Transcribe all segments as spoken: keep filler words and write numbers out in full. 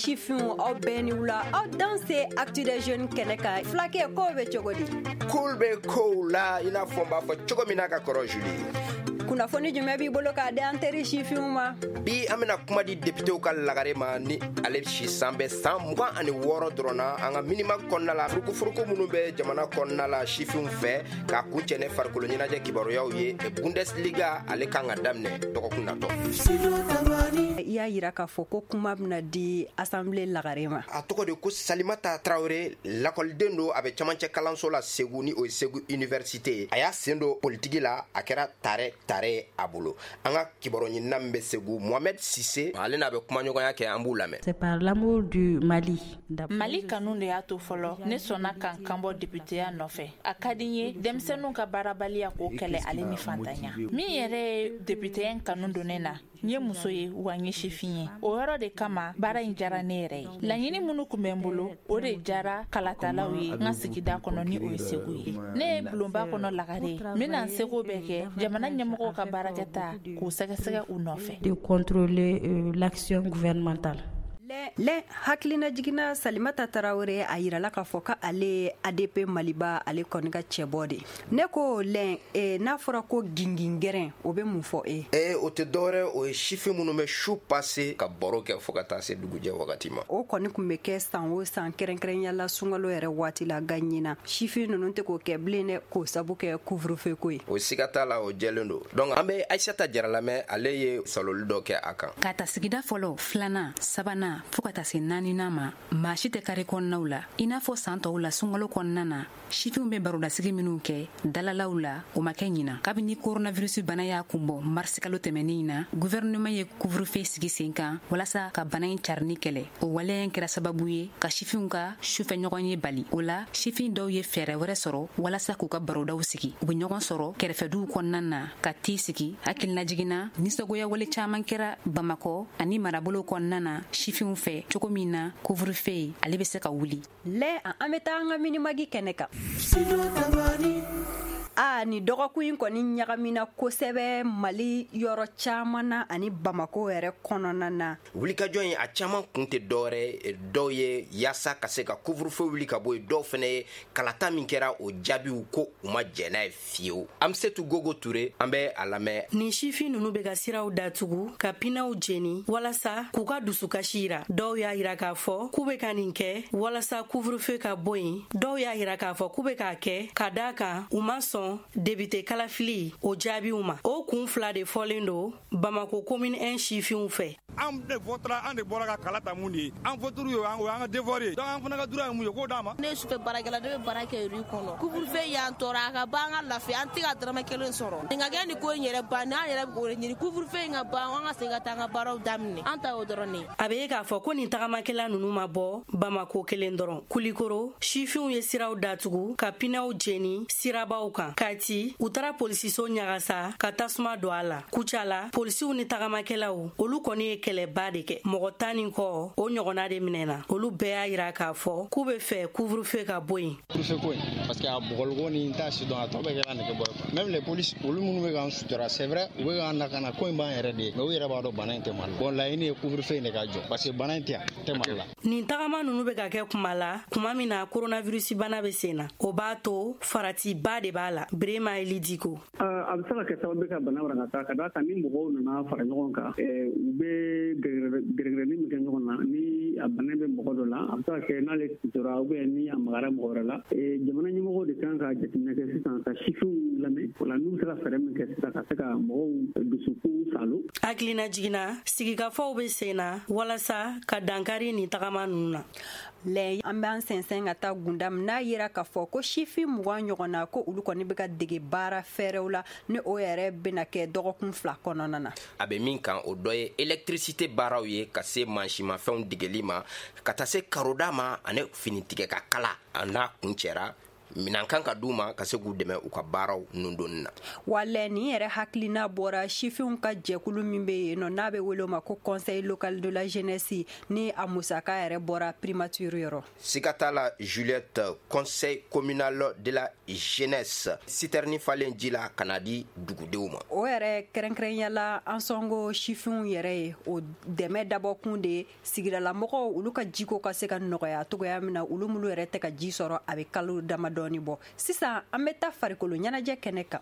Sifinw, aw bɛɛ ni wula, aw danse Actu des Jeunes kɛnɛ kan. Fulakɛ, kow bɛ cogo di? Kow bɛ kow la, i n'a fɔ n b'a fɔ cogo min na ka kɔrɔ, Julie. Kunnafoni jumɛn b'i bolo k'a di an teri sifinw ma? Bi, an bɛna kuma di députéw ka lagare ma, ni ale si san bɛ san mugan ani wɔɔrɔ dɔrɔn na. An ka minima kɔnɔna la, furukufuruku minnu bɛ jamana kɔnɔna la sifinw fɛ, k'a kuncɛ ne farikolo ɲɛnajɛ kibaruyaw ye. Bundesliga, ale kan ka daminɛ dɔgɔkun natɔ. I y'a yira k'a fɔ ko kuma bɛna di assemblée lagare ma. A tɔgɔ de ko Salimata Tarawele, lakɔliden don, a bɛ camancɛ kalanso la Segu, ni o ye Segu Université ye. A y'a sen don politiki la, a kɛra tare tare a bolo. An ka kibaru ɲinina min bɛ Segu, Mohamed Sise, ale n'a bɛ kumaɲɔgɔnya kɛ, an b'u lamɛn. C'est par l'amour du Mali. Mali kanu de y'a to fɔlɔ ne sɔnna ka n kanbɔ députéya nɔfɛ. A ka di n ye denmisɛnninw ka baarabaliya k'o kɛlɛ, ale ni fantanya. Min yɛrɛ ye députéya kanu don ne na, n ye muso ye wa n ye sifin ye. O yɔrɔ de kama baara in diyara ne yɛrɛ ye. Laɲini minnu tun bɛ n bolo, o de diyara kalatalaw ye n ka sigida kɔnɔ, ni o ye Segu ye. Ne ye bulonba kɔnɔ lagare ye, n bɛna n seko bɛɛ kɛ jamana ɲɛmɔgɔw ka baarakɛta k'u sɛgɛsɛgɛ u nɔfɛ. De contrôler euh, l'action gouvernementale. Lɛ, hakilina jiginna, Salimata Tarawele, a yirala k'a fɔ k'ale ye A D P Maliba, ale kɔni ka cɛbɔ de. Ne ko lɛn eh, n'a fɔra ko gingingɛrɛn, o bɛ mun fɔ e? Ee, o tɛ dɔwɛrɛ, o ye sifin minnu bɛ su passe ka baro kɛ fo ka taa se dugujɛ wagati ma. O kɔni tun bɛ kɛ san o san, kɛrɛnkɛrɛnya la sunkalo yɛrɛ waati la. Ga ɲina, sifin ninnu tɛ k'o kɛ bilen dɛ, k'o sabu kɛ couvre-feu ko ye. O siga t'a la, o jɛlen don. Donc an bɛ Ayisata Jara lamɛn, ale ye saloli dɔ kɛ a kan. Ka ta sigida fɔlɔ, filanan, sabanan, fɔɔ ka taa se naaninan ma, maa si tɛ kare kɔnɔnaw la i n'a fɔ saan tɔw la. Sunkalo kɔnɔna na, sifinw bɛ barodasigi minw kɛ dalalaw la, o ma kɛ ɲina kabini koronavirusi bana y'a kunbɔ marisikalo tɛmɛnin na. Guvɛrɛnɛman ye couvre-feu sigi sen kan walasa ka bana ɲi carini kɛlɛ. O waleya kɛra sababu ye ka sifinw ka sufɛ ɲɔgɔn ye bali. O la, sifin dɔw ye fɛɛrɛ wɛrɛ sɔrɔ walasa k'u ka barodaw sigi. U be ɲɔgɔn sɔrɔ kɛrɛfɛduw kɔnɔna na ka tii sigi. Hakilinajiginna, nisɔngoya wale caaman kɛra Bamakɔ ani marabolo kɔnɔna na sifinw fɛ, cogo min na couvre-feu ale be se ka wuli. Lɛ, an bɛ taa an ka minimagi kɛnɛ kan. A ni dɔgɔkun in kɔni ɲagamina kosɛbɛ Mali yɔrɔ caman na ani Bamako yɛrɛ kɔnɔna na. Wulikajɔ in, a caman kun tɛ dɔwɛrɛ, dɔw ye yaasa ka se ka couvre-feu wuli ka bɔ yen, dɔw fɛnɛ ye kalata min kɛra, o jaabiw ko u ma jɛn n'a ye fiyewu. An bɛ se tu Gogo Ture, an bɛ a lamɛn. Nin sifin nunu bɛ ka siraw datugu, ka pinɛw jeni walasa k'u ka dusukasi yira. Dɔw y'a yira k'a fɔ k'u bɛ ka nin kɛ walasa couvre-feu ka bɔ yen. Dɔw y'a yira k'a fɔ k'u bɛ k'a kɛ ka daa kan u ma sɔn député kalafili o jaabiw ma. O kun fila de fɔlen don Bamako commune un sifinw fɛ. An de votera, an de bɔra ka kala ta. Mun de ye an votere ye? O y'an ka devoir ye. Donc an fana ka droit ye mun ye, k'o d'a ma. Ne ye sufɛ baarakɛla, ne bɛ baara kɛ rue kɔnɔ. Couvre-feu y'an tɔɔrɔ, a ka ban, an ka lafiya, an tɛ ka dɔrɔmɛ kelen sɔrɔ. Nin ka kɛ, nin ko in yɛrɛ ban, n'an yɛrɛ b'o de ɲini, couvre-feu in ka ban, an ka segin ka taa an ka baaraw daminɛ. An ta y'o dɔrɔn de ye. A bɛ ye k'a fɔ ko nin tagamakɛla nunu ma bɔ Bamako kelen dɔrɔn. Kulikoro sifinw ye siraw datugu, ka pinɛw jeni sirabaw kan. Kati, u taara polisiso ɲagasa ka tasuma don a la. Kucala, polisiw ni tagamakɛlaw, olu kɔni ye kɛlɛba de kɛ. Mɔgɔ tan ni kɔ o ɲɔgɔnna de minɛna. Olu bɛɛ y'a yira k'a fɔ k'u be fɛ couvre-feu ka bɔ yen. Couvre-feu ko in, parce que a bugɔliko ni n t'a si dɔn, a tɔ bɛɛ kɛra nɛgɛ bɔ ye. Même les polices, olu minnu bɛ k'an sutura, c'est vrai, u bɛ k'an lakana, ko in b'an yɛrɛ de ye, mais u yɛrɛ b'a dɔn bana in tɛ Mali la. Bon, laɲini ye couvre-feu in de ka jɔ, parce que bana in tɛ yan, tɛ Mali la. Nin tagama nunu bɛ ka kɛ kuma la, kuma min na coronavirus bana bɛ sen na, o b'a to faratiba de b'a la. Brema Elidiko. A bɛ se ka kɛ sababu ka bana wara ka d'a kan. Ni mɔgɔw nana fara ɲɔgɔn kan, u bɛ gɛrɛgɛrɛni min kɛ ɲɔgɔn na, ni a bana bɛ mɔgɔ dɔ la, a bɛ se ka kɛ n'ale tora ou bien ni a magara mɔgɔ wɛrɛ la. Jamana ɲɛmɔgɔw de kan ka jateminɛ kɛ sisan, ka sifinw lamɛn. O la, n'u bɛ se ka fɛɛrɛ min kɛ sisan ka se ka mɔgɔw dusukun salo. Hakilina jiginna, sigikafɔw bɛ sen na walasa ka dankari nin tagama ninnu na. Lɛ, an b'an sɛnsɛn ka taa Gundam, n'a yira k'a fɔ ko sifin mugan ɲɔgɔn na, ko olu kɔni bɛ ka dege baara fɛɛrɛw la, ni o yɛrɛ bɛna kɛ dɔgɔkun fila kɔnɔna na. A bɛ min kan, o dɔ ye électricité baaraw ye, ka se mansimafɛnw degeli ma, ka taa se karoda ma ani finitigɛ ka kala. A n'a kun cɛra. Minan kan ka d'u ma ka se k'u dɛmɛ u ka baaraw nundonni na. Walɛ nin yɛrɛ hakilina bɔra sifinw ka jɛkulu min bɛ yen nɔ n'a bɛ wele o ma ko conseil local de la jeunesse, ni a musaka yɛrɛ bɔra primature yɔrɔ. Siga t'a la Juliette, conseil communal de la jeunesse, citerne falen ji la ka na di dugudenw ma. O yɛrɛ kɛrɛnkɛrɛnya la an sɔngo sifinw yɛrɛ ye o dɛmɛ dabɔkun de ye sigidalamɔgɔw olu ka jiko ka se ka nɔgɔya cogoya min na, olu minnu yɛrɛ tɛ ka ji sɔrɔ a bɛ kalo damadɔɔni bɔ. Sisan an bɛ taa farikolo ɲɛnajɛ kɛnɛ kan.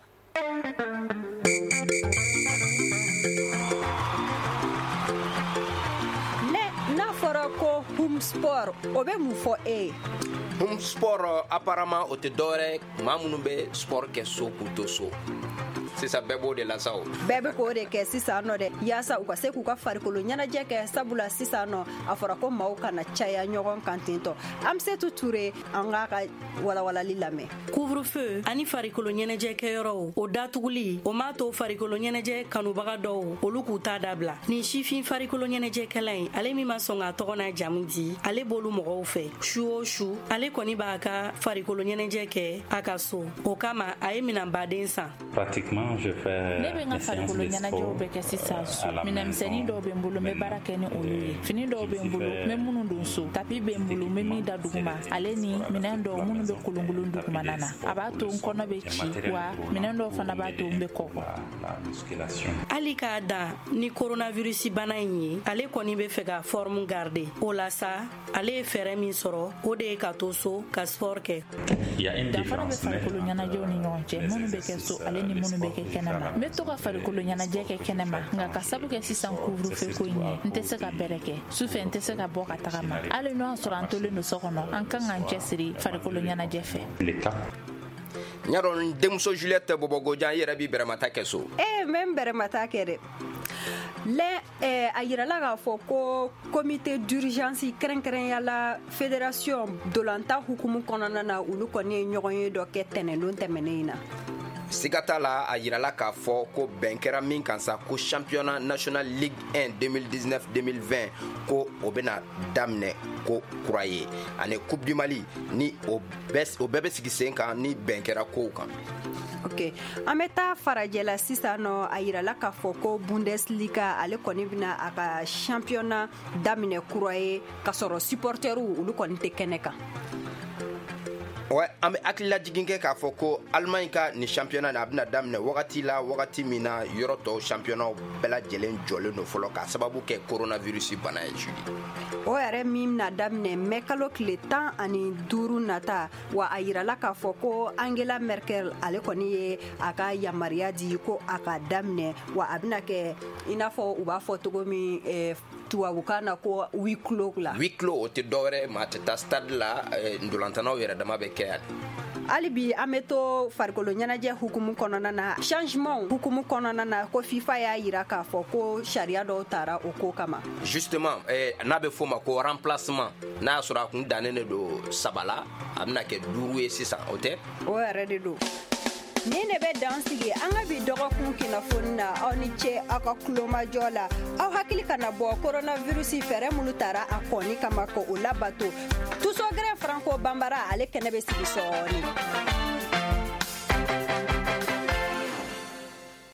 Ne n'a fɔra ko home sport, o bɛ mun fɔ e ye? Home sport apparemment o tɛ dɔwɛrɛ maa minnu bɛ sport kɛ so k'u to so. Sisan bɛɛ b'o de la sa o. Bɛɛ bɛ k'o de kɛ sisan nɔ dɛ, yaasa u ka se k'u ka farikolo ɲɛnajɛ kɛ, sabula sisan nɔ a fɔra ko maaw kana caya ɲɔgɔn kan tentɔ. Amsetu Ture, an k'a ka walawalali lamɛn. Couvre-feu ani farikolo ɲɛnajɛ kɛyɔrɔw o datuguli o m'a to farikolo ɲɛnajɛ kanubaga dɔw olu k'u ta dabila. Nin sifin farikolo ɲɛnajɛkɛla in, ale min ma sɔn k'a tɔgɔ n'a jamu di, ale b'olu mɔgɔw fɛ su o su. Ale kɔni b'a ka farikolo ɲɛnajɛ kɛ a ka so, o kama a ye minɛnbaden san. Pratiquement ne bɛ n ka farikolo ɲɛnajɛw bɛɛ kɛ sisan so. Minɛnmisɛnnin dɔw bɛ n bolo, n bɛ baara kɛ ni olu ye. Fini dɔw bɛ n bolo, n bɛ minnu don so. Tapi bɛ n bolo, n bɛ min da duguma, ale ni minɛn dɔw minnu bɛ kolonkolon dugumana na. A b'a to n kɔnɔ bɛ ci, wa minɛn dɔw fana b'a to n bɛ kɔgɔ. Hali k'a dan ni coronavirus bana in ye, ale kɔni bɛ fɛ ka forme garder. O la sa, ale ye fɛɛrɛ min sɔrɔ, o de ye ka to so ka sport kɛ. Danfara bɛ farikolo ɲɛnajɛw ni ɲɔgɔn cɛ, minnu bɛ kɛ so ale ni minnu bɛ kɛ kɛnɛma. N bɛ to ka farikolo ɲɛnajɛ kɛ kɛnɛma, nka ka sabu kɛ sisan couvre-feu ko in ye, n tɛ se ka bɛrɛ kɛ. Sufɛ n tɛ se ka bɔ ka tagama. Hali n'o y'a sɔrɔ an tolen don so kɔnɔ, an kan k'an cɛsiri farikolo ɲɛnajɛ fɛ. N y'a dɔn denmuso Juliette Bɔbɔgojan, i yɛrɛ b'i bɛrɛmata kɛ so. Ee, n bɛ n bɛrɛmata kɛ dɛ. Lɛ eh, a yirala k'a fɔ ko comité d'urgence kɛrɛnkɛrɛnya la fédération dolanta hukumu kɔnɔna na, olu kɔni ye ɲɔgɔn ye dɔ kɛ tɛnɛndon tɛmɛnen in na. Siga t'a la, a yirala k'a fɔ ko bɛn kɛra min kan sa, ko championnat national ligue un deux mille dix-neuf deux mille vingt ko o bɛna daminɛ ko kura ye, ani coupe du Mali ni o bɛɛ o bɛɛ bɛ sigi sen kan ni bɛn kɛra kow kan. Ok, an bɛ taa farajɛla sisan nɔ. A yirala k'a fɔ ko Bundesliga ale kɔni bɛna a ka championnat daminɛ kura ye k'a sɔrɔ supporteriw olu kɔni tɛ kɛnɛ kan. Ouais, an bɛ hakililajigin kɛ k'a fɔ ko Allemagne ka nin championnat a bɛna daminɛ wagati la, wagati min na yɔrɔ tɔw championnat bɛɛ lajɛlen jɔlen don fɔlɔ k'a sababu kɛ coronavirus bana ye. Julie, o yɛrɛ min bɛna daminɛ mɛ kalo tile tan ani duuru nata. Wa a yirala k'a fɔ ko Angela Merkel ale kɔni ye a ka yamaruya di ko a ka daminɛ, wa a bɛna kɛ i n'a fɔ u b'a fɔ cogo min eh, tubabukan na ko huis clos la. Huis clos o tɛ dɔwɛrɛ, maa tɛ taa stade la, ntolantanaw yɛrɛ dama bɛ kɛ yan. Hali bi an bɛ to farikolo ɲɛnajɛ hukumu kɔnɔna na, changement hukumu kɔnɔna na, ko FIFA y'a yira k'a fɔ ko sariya dɔw tara o ko kama. Justement, eh, n'a bɛ f'o ma ko remplacement, n'a y'a sɔrɔ a kun dannen de don saba la, a bɛna kɛ duuru ye sisan, o tɛ? O yɛrɛ de don. Nin de bɛ dan sigi an ka bi dɔgɔkun kunnafoni na. Aw ni ce aw ka kulomajɔ la. Aw hakili kana bɔ coronavirus fɛɛrɛ minnu tara a kɔni kama ko o labato. Tusogɛrɛ Franco Banbara ale kɛnɛ bɛ sigi sɔɔni.